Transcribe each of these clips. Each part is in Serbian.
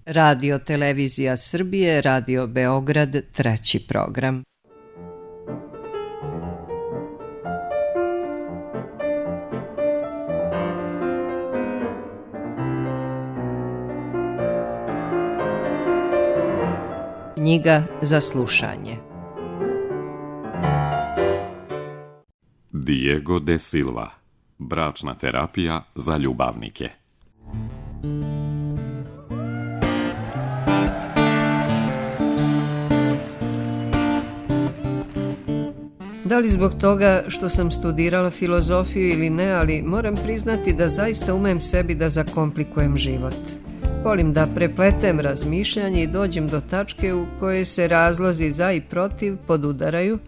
Radio Televizija Srbije, Radio Beograd, treći program. Knjiga za slušanje. Diego de Silva. Bračna terapija za ljubavnike. Da li zbog toga što sam studirala filozofiju ili ne, ali moram priznati da zaista umem sebi da zakomplikujem život. Volim da prepletem razmišljanje i dođem do tačke u kojoj se razlozi za i protiv podudaraju,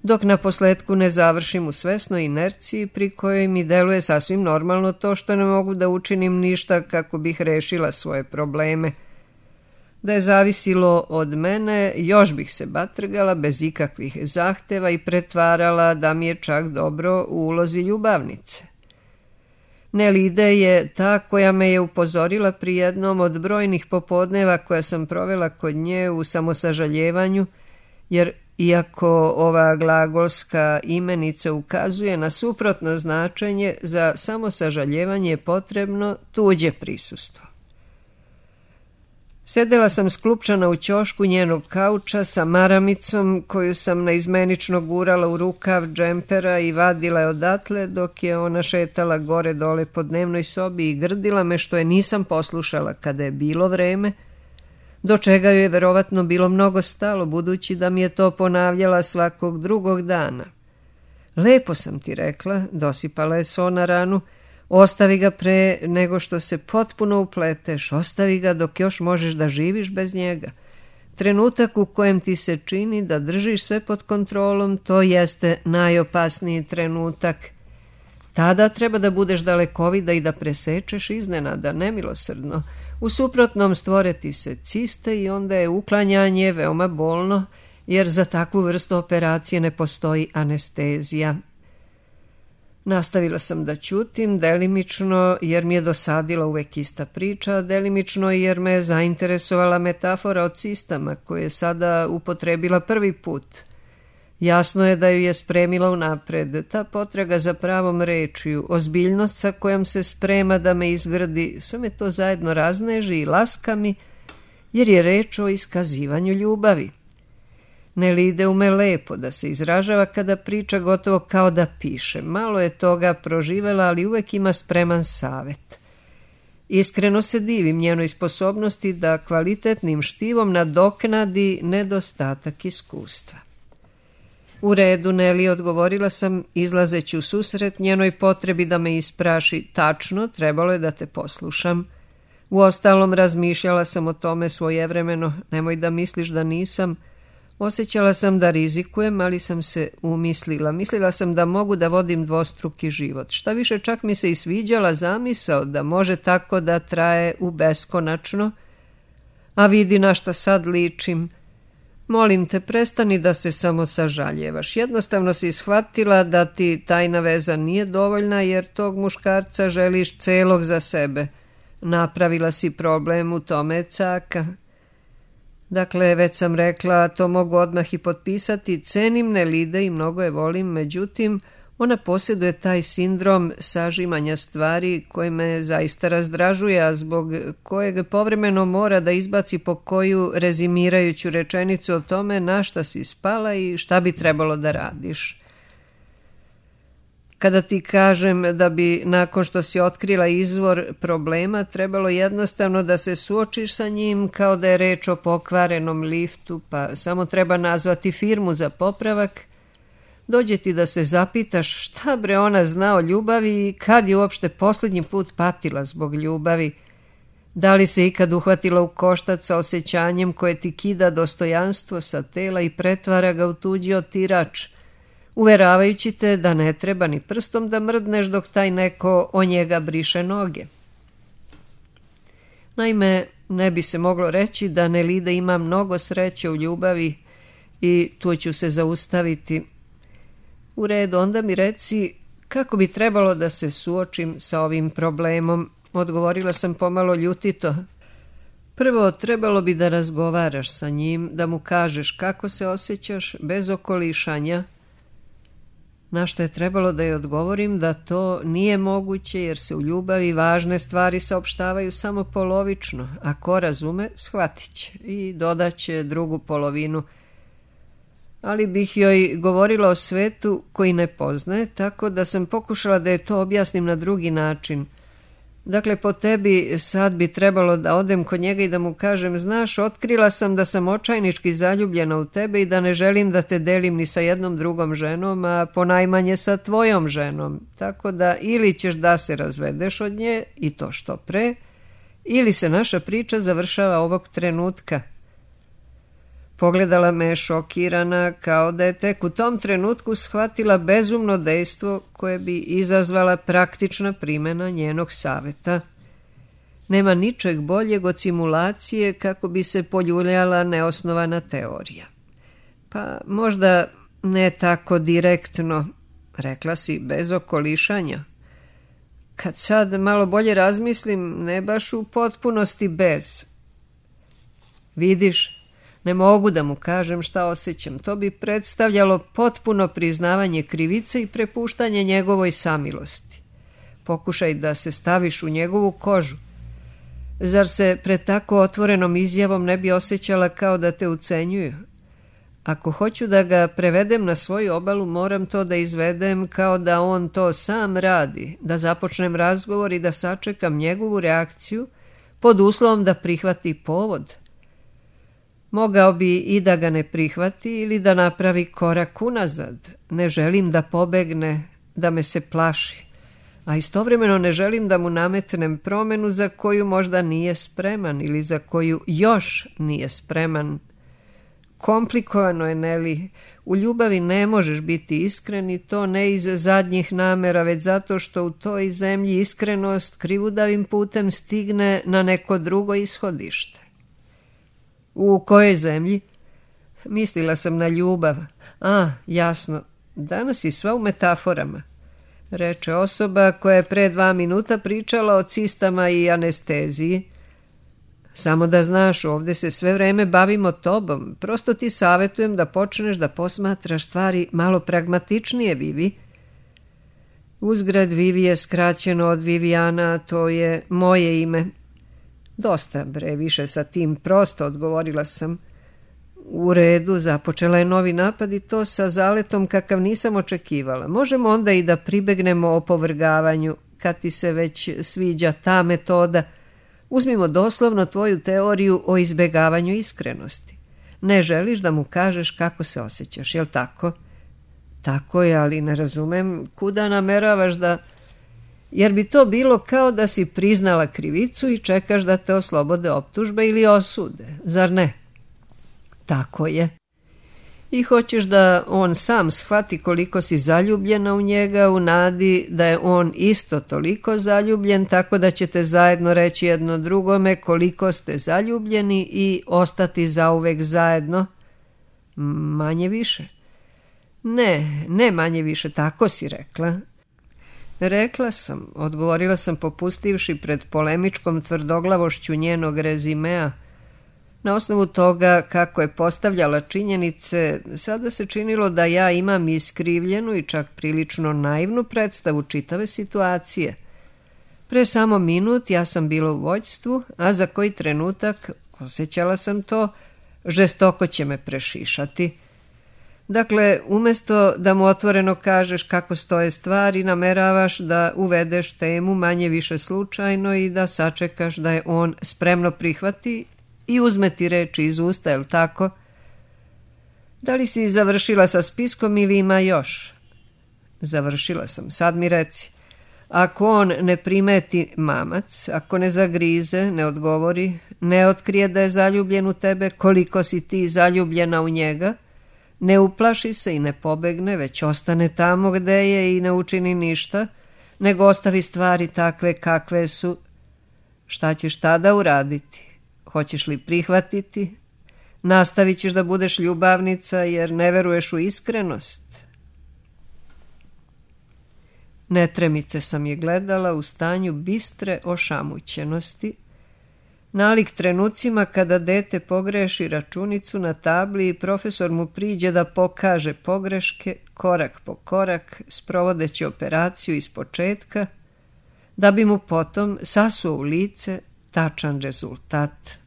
dok na posletku ne završim u svesnoj inerciji pri kojoj mi deluje sasvim normalno to što ne mogu da učinim ništa kako bih rešila svoje probleme. Da je zavisilo od mene, još bih se batrgala bez ikakvih zahteva i pretvarala da mi je čak dobro u ulozi ljubavnice. Nelide je ta koja me je upozorila pri jednom od brojnih popodneva koja sam provela kod nje u samosažaljevanju, jer iako ova glagolska imenica ukazuje na suprotno značenje, za samosažaljevanje je potrebno tuđe prisustvo. Sedela sam sklupčana u ćošku njenog kauča sa maramicom koju sam naizmenično gurala u rukav džempera i vadila je odatle dok je ona šetala gore dole po dnevnoj sobi i grdila me što je nisam poslušala kada je bilo vreme, do čega joj je verovatno bilo mnogo stalo budući da mi je to ponavljala svakog drugog dana. Lepo sam ti rekla, dosipala je so na ranu, ostavi ga pre nego što se potpuno upleteš, ostavi ga dok još možeš da živiš bez njega. Trenutak u kojem ti se čini da držiš sve pod kontrolom, to jeste najopasniji trenutak. Tada treba da budeš dalekovida i da presečeš iznenada, nemilosrdno. U suprotnom stvore ti se ciste i onda je uklanjanje veoma bolno, jer za takvu vrstu operacije ne postoji anestezija. Nastavila sam da ćutim, delimično jer mi je dosadila uvek ista priča, delimično jer me je zainteresovala metafora o cistama koje je sada upotrebila prvi put. Jasno je da ju je spremila unapred, ta potraga za pravom rečju, ozbiljnost sa kojom se sprema da me izgrdi, sve me to zajedno razneži i laska mi, jer je reč o iskazivanju ljubavi. Nelide ume lepo da se izražava kada priča gotovo kao da piše. Malo je toga proživela, ali uvek ima spreman savet. Iskreno se divim njenoj sposobnosti da kvalitetnim štivom nadoknadi nedostatak iskustva. U redu, Neli, odgovorila sam, izlazeći u susret njenoj potrebi da me ispraši. Tačno, trebalo je da te poslušam. Uostalom, razmišljala sam o tome svojevremeno, nemoj da misliš da nisam. Osjećala sam da rizikujem, ali sam se umislila. Mislila sam da mogu da vodim dvostruki život. Šta više, čak mi se i sviđala zamisao da može tako da traje u beskonačno. A vidi na šta sad ličim. Molim te, prestani da se samo sažaljevaš. Jednostavno si shvatila da ti tajna veza nije dovoljna jer tog muškarca želiš celog za sebe. Napravila si problem, u tome je caka. Dakle, već sam rekla, to mogu odmah i potpisati, cenim Nelide i mnogo je volim, međutim, ona posjeduje taj sindrom sažimanja stvari koji me zaista razdražuje, a zbog kojeg povremeno mora da izbaci po koju rezimirajuću rečenicu o tome na šta si spala i šta bi trebalo da radiš. Kada ti kažem da bi nakon što si otkrila izvor problema trebalo jednostavno da se suočiš sa njim kao da je reč o pokvarenom liftu, pa samo treba nazvati firmu za popravak, dođe ti da se zapitaš šta bre ona zna o ljubavi i kad je uopšte posljednji put patila zbog ljubavi. Da li se ikad uhvatila u koštac sa osjećanjem koje ti kida dostojanstvo sa tela i pretvara ga u tuđi otirač, uveravajući te da ne treba ni prstom da mrdneš dok taj neko o njega briše noge. Naime, ne bi se moglo reći da Nelida ima mnogo sreće u ljubavi i tu ću se zaustaviti. U redu, onda mi reci kako bi trebalo da se suočim sa ovim problemom, odgovorila sam pomalo ljutito. Prvo, trebalo bi da razgovaraš sa njim, da mu kažeš kako se osjećaš, bez okolišanja. Na što je trebalo da joj odgovorim da to nije moguće, jer se u ljubavi važne stvari saopštavaju samo polovično, a ko razume, shvatit će i dodaće drugu polovinu. Ali bih joj govorila o svetu koji ne poznaje, tako da sam pokušala da je to objasnim na drugi način. Dakle, po tebi sad bi trebalo da odem kod njega i da mu kažem: znaš, otkrila sam da sam očajnički zaljubljena u tebe i da ne želim da te delim ni sa jednom drugom ženom, a ponajmanje sa tvojom ženom. Tako da ili ćeš da se razvedeš od nje, i to što pre, ili se naša priča završava ovog trenutka. Pogledala me šokirana, kao da je tek u tom trenutku shvatila bezumno dejstvo koje bi izazvala praktična primjena njenog saveta. Nema ničeg boljeg od simulacije kako bi se poljuljala neosnovana teorija. Pa možda ne tako direktno, rekla si, bez okolišanja. Kad sad malo bolje razmislim, ne baš u potpunosti bez. Vidiš, ne mogu da mu kažem šta osjećam. To bi predstavljalo potpuno priznavanje krivice i prepuštanje njegovoj samilosti. Pokušaj da se staviš u njegovu kožu. Zar se pred tako otvorenom izjavom ne bi osjećala kao da te ucenjuju? Ako hoću da ga prevedem na svoju obalu, moram to da izvedem kao da on to sam radi, da započnem razgovor i da sačekam njegovu reakciju pod uslovom da prihvati povod. Mogao bi i da ga ne prihvati ili da napravi korak unazad. Ne želim da pobegne, da me se plaši, a istovremeno ne želim da mu nametnem promenu za koju možda nije spreman ili za koju još nije spreman. Komplikovano je, Neli. U ljubavi ne možeš biti iskren, i to ne iz zadnjih namera, već zato što u toj zemlji iskrenost krivudavim putem stigne na neko drugo ishodište. U kojoj zemlji? Mislila sam na ljubav. Jasno, danas si sva u metaforama, reče osoba koja je pre 2 minuta pričala o cistama i anesteziji. Samo da znaš, ovdje se sve vreme bavimo tobom. Prosto ti savjetujem da počneš da posmatraš stvari malo pragmatičnije, Vivi. Uzgrad, Vivi je skraćeno od Viviana, to je moje ime. Dosta, bre, više sa tim, prosto, odgovorila sam. U redu, započela je novi napad, i to sa zaletom kakav nisam očekivala. Možemo onda i da pribegnemo opovrgavanju, kad ti se već sviđa ta metoda. Uzmimo doslovno tvoju teoriju o izbegavanju iskrenosti. Ne želiš da mu kažeš kako se osjećaš, jel tako? Tako je, ali ne razumem kuda nameravaš da... Jer bi to bilo kao da si priznala krivicu i čekaš da te oslobode optužbe ili osude, zar ne? Tako je. I hoćeš da on sam shvati koliko si zaljubljena u njega, u nadi da je on isto toliko zaljubljen, tako da ćete zajedno reći jedno drugome koliko ste zaljubljeni i ostati zauvek zajedno. Manje više. Ne manje više, tako si rekla. Rekla sam, odgovorila sam popustivši pred polemičkom tvrdoglavošću njenog rezimea. Na osnovu toga kako je postavljala činjenice, sada se činilo da ja imam iskrivljenu i čak prilično naivnu predstavu čitave situacije. Pre samo minut ja sam bila u vođstvu, a za koji trenutak, osjećala sam to, žestoko će me prešišati. Dakle, umjesto da mu otvoreno kažeš kako stoje stvari, nameravaš da uvedeš temu manje više slučajno i da sačekaš da je on spremno prihvati i uzme ti reči iz usta, jel tako? Da li si završila sa spiskom ili ima još? Završila sam, sad mi reci. Ako on ne primeti mamac, ako ne zagrize, ne odgovori, ne otkrije da je zaljubljen u tebe, koliko si ti zaljubljena u njega, ne uplaši se i ne pobegne, već ostane tamo gde je i ne učini ništa, nego ostavi stvari takve kakve su, šta ćeš tada uraditi? Hoćeš li prihvatiti? Nastavit ćeš da budeš ljubavnica jer ne veruješ u iskrenost? Netremice sam je gledala u stanju bistre ošamućenosti. Nalik trenucima kada dete pogreši računicu na tabli i profesor mu priđe da pokaže pogreške korak po korak, sprovodeći operaciju iz početka, da bi mu potom sasuo u lice tačan rezultat.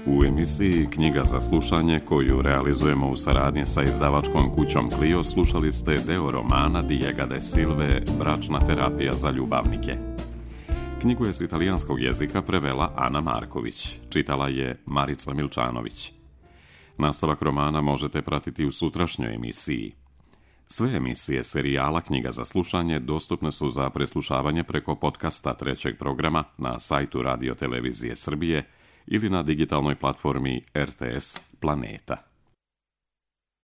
U emisiji Knjiga za slušanje, koju realizujemo u saradnji sa izdavačkom kućom Clio, slušali ste deo romana Diega de Silve Bračna terapija za ljubavnike. Knjigu je s italijanskog jezika prevela Ana Marković, čitala je Marica Milčanović. Nastavak romana možete pratiti u sutrašnjoj emisiji. Sve emisije serijala Knjiga za slušanje dostupne su za preslušavanje preko podcasta trećeg programa na sajtu Radio Televizije Srbije ili na digitalnoj platformi RTS Planeta.